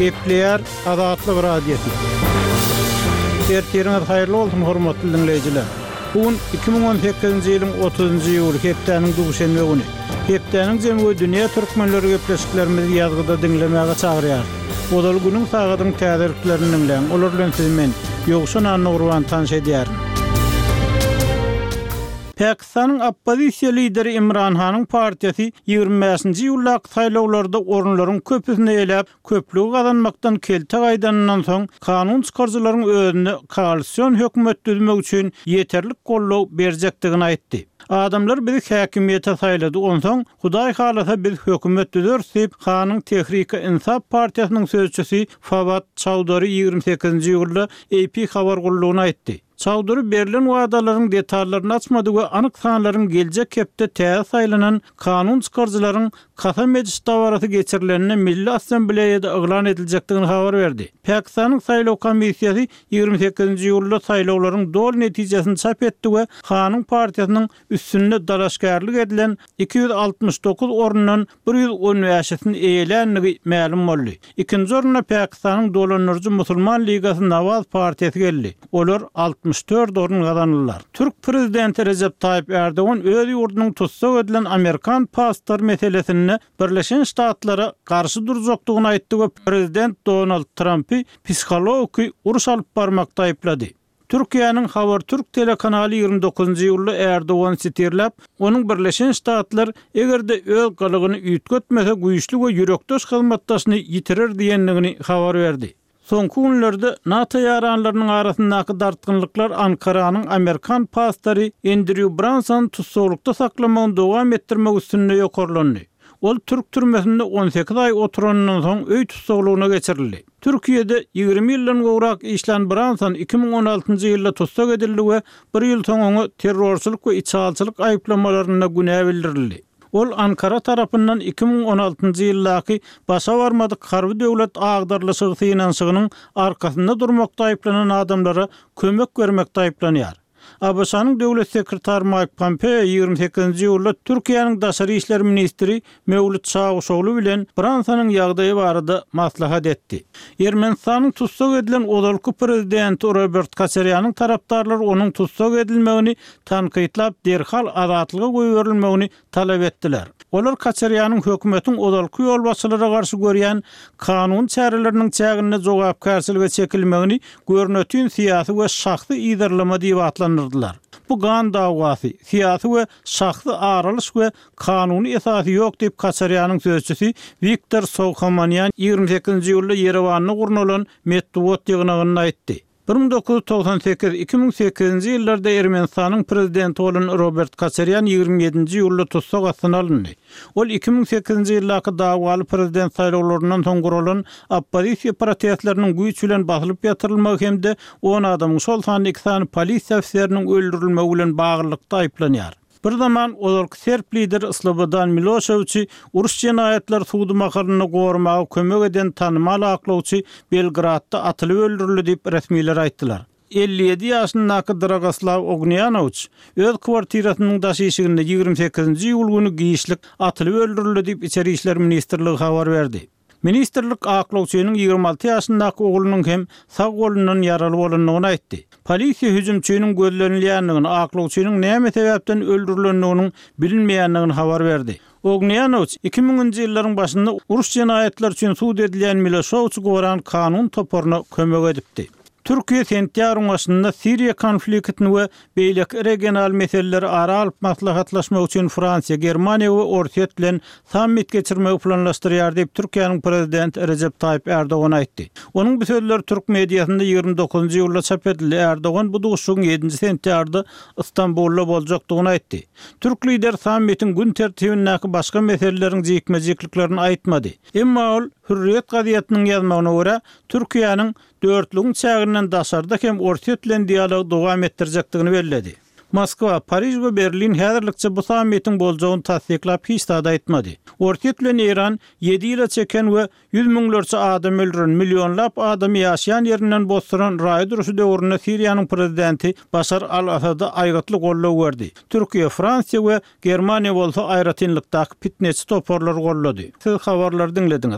Gepleýär Azatlyk Radiosy. Ertiriňiz haýyrly bolsun, hormatly diňleýjiler! Bu gün 2018-nji ýylyň 30-njy iýuly, hepdäniň duşenbe güni. Hepdäniň jemi we dünýä türkmenleri gepleşiklerimizi ýazgyda diňlemäge çagyrýarys. Ozal günüň sagadyň täzeliklerini diňläň, olar bilen sizi men, Ýowşan Annagurban tanyş edýärin. Pakistanyň oppozisiýa lideri Imran Hanyň partiýasy 25-nji iýuldaky saýlawlarda orunlaryň köpüsini eýeläp, köplügi gazanmakdan kelte gaýdanyndan soň, kanun çykaryjylaryň özüne koalision hökümet düzmek üçin ýeterlik goldaw berjekdigini aýtdy. Adamlar bizi häkimiýete saýlady, onsoň, Hudaý halasa biz hökümet düzeris diýip, Hanyň Tehrike-Insaf partiýasynyň sözçüsi Fawad Çaudary 28-nji iýulda AP habar gullugyna aýtdy. Çaudary berlen wadalaryň detallaryny açmady we anyk sanlaryň geljek hepde täze saýlanan kanun çykaryjylaryň kasam ediş dabarasy geçirilende Milli Assambleýada yglan ediljekdigini habar berdi. Pakistanyň saýlaw komissiýasy 28-nji iýulda saýlawlaryň doly netijesini çap etdi we Hanyň partiýasynyň üstünde dalaşgärlik edilen 269 orundan 115-sini eýeländigi mälim boldy. Ikinji orunda Pakistanyň dolandyryjy Musulman ligasy Nawaz partiýasy geldi. Olar 64 orun gazandylar. Türk prezidenti Rejep Taýyp Ärdogan öz ýurdunyň tussag edilen amerikan pastory meselesinde Birleşen Ştatlara garşy durjakdygyny aýtdy we prezident Donald Trampy psihologiki uruş alyp barmakda aýyplady. Türkiýäniň Habertürk telekanaly 29-njy iýulda Erdogany sitirläp, onuň Birleşen Ştatlar eger-de öz gylygyny üýtgetmese güýçli we ýürekdeş hyzmatdaşyny ýitirer diýendigini habar berdi. Soňky günlerde NATO ýaranlarynyň arasyndaky dartgynlyklar Ankaranyň amerikan pastory Endrýu Bransony tussaglykda saklamagyny dowam etdirmek üstünde ýokarlandy. Ol türk türmesinde 18 aý oturanyndan soň öý tussaglygyna geçirildi. Türkiýede 20 ýyldan gowrak işlän Branson 2016-njy ýylda tussag edildi we bir ýyl soň oňa terrorçylyk we içalyçylyk aýyplamalarynda günä bildirildi. Ol Ankara tarapyndan 2016-njy ýyldaky başa barmadyk harby döwlet agdarylyşygy synanyşygynyň arkasynda durmakda aýyplanan adamlara kömek bermekde aýyplanýar. ABŞ-nyň döwlet sekretary Maýk Pompeo 28-nji iýulda Türkiýäniň daşary işler ministri Mewlüt Çawuşogly bilen Bransonyň ýagdaýy barada maslahat etdi. Ermenistanyň tussag edilen ozalky prezidenti Robert Koçarýanyň tarapdarlary onuň tussag edilmegini tankytlap, derhal azatlyga goýberilmegini talap etdiler. Olar Koçarýanyň hökümetiň ozalky ýolbaşçylara garşy görýän kanuny çäreleriniň çäginde jogapkärçilige çekilmegini görnetin syýasy we şahsy yzarlama diýip atlandyrdylar. Bu gan dawasy, syýasy we şahsy ar alyş we kanuny esasy ýok diýip Koçarýanyň sözçüsi Wiktor Sowhamanýan 28-nji iýulda Ýerewanda gurnalan metbugat ýygnagynda aýtdy. 1998, 2008-nji ýyllarda Ermenistanyň prezidenti bolan Robert Koçarýan 27-nji iýulda tussag astyna alyndy. Ol 2008-nji ýyldaky dawaly prezident saýlawlaryndan soň guralan oppozisiýa protestleriniň güýç bilen basylyp ýatyrylmagy hem-de on adamyň, şol sanda iki sany polisiýa ofiseriniň öldürilmegi bilen baglylykda aýyplanýar. Bir zaman ozalky serb lideri Slobodan Miloşewiçi uruş jenaýatlary sudy mahalynda goramaga kömek eden tanymal aklawçy Belgradda atylyp öldürildi diýip, resmiler aýtdylar. 57 ýaşyndaky Dragoslaw Ognýanowiç öz kwartirasynyň daş işiginde 28-nji iýul güni giçlik atylyp öldürildi diýip, Içeri işler ministrligi habar berdi. Ministrlik aklawçynyň 26 ýaşyndaky oglunyň hem sag golundan ýaraly bolandygyny aýtdy. Polisiýa hüjümçiniň gözlenilýändigini, aklawçynyň näme sebäpden öldürilendiginiň bilinmeýändigini habar berdi. Ognýanowiç iki müňünji ýyllaryň başynda uruş jenaýatlary üçin sud edilýän Miloşewiçi goran kanun toparyna kömek edipdi. Türkiýe sentýabryň başynda Siriýa konfliktini we beýleki regional meseleleri ara alyp maslahatlaşmak üçin Fransiýa, Germaniýa we Orsýet bilen sammit geçirmegi planlaşdyrýar diýip, Türkiýäniň prezidenti Rejep Taýyp Ärdogan aýtdy. Onuň bu sözleri türk mediasynda 29-njy iýulda çap edildi. Ärdogan bu duşuşygyň ýedinji sentýabrda Stambulda boljakdygyny aýtdy. Türk lideri sammitiň gün tertibindäki başga meseleleriň jikme-jikliklerini aýtmady. Emma ol, Hürriýet gazetiniň ýazmagyna görä, Türkiýäniň Dörtlügiň çäginden daşarda hem Orsýet bilen dialogy dowam etdirjekdigini belledi. Moskwa, Pariž we Berlin häzirlikçe bu sammitiň boljagyny tassyklap hiç zat aýtmady. Orsýet bilen Eýran ýedi ýyla çeken we ýüz müňlerçe adam öldüren, millionlap adamy ýaşaýan ýerinden bosduran raýat urşy döwründe Siriýanyň prezidenti Başar al-Asada aýgytly goldaw berdi. Türkiýe, Fransiýa we Germaniýa bolsa aýratynlykdaky pitneçi toparlary goldady. Siz habarlary diňlediňiz.